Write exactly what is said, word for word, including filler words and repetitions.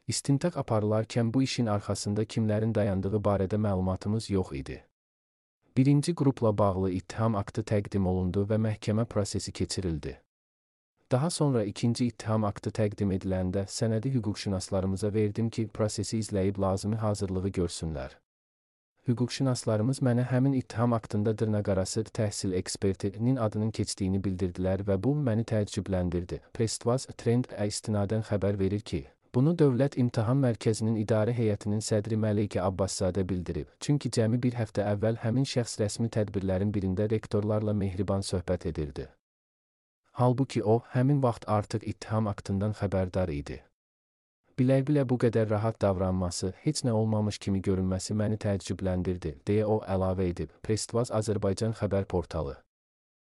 İstintaq aparılarkən bu işin arxasında kimlərin dayandığı barədə məlumatımız yox idi. Birinci qrupla bağlı ittiham aktı təqdim olundu və məhkəmə prosesi keçirildi. Daha sonra ikinci ittiham aktı təqdim ediləndə sənədi hüquqşünaslarımıza verdim ki, prosesi izləyib lazımi hazırlığı görsünlər. Hüquqşünaslarımız mənə həmin ittiham aktında dırnaqarası təhsil ekspertinin adının keçdiyini bildirdilər və bu məni təəccübləndirdi. Prestvaz Trend-ə istinadən xəbər verir ki, bunu Dövlət İmtahan Mərkəzinin İdarə Heyətinin sədri Məleykə Abbaszadə bildirib. Çünki cəmi bir həftə əvvəl həmin şəxs rəsmi tədbirlərin birində rektorlarla mehriban söhbət edirdi. Halbuki o, həmin vaxt artıq ittiham aktından xəbərdar idi. Bilə-bilə bu qədər rahat davranması, heç nə olmamış kimi görünməsi məni təəccübləndirdi, deyə o əlavə edib. Prestvaz Azərbaycan xəbər portalı.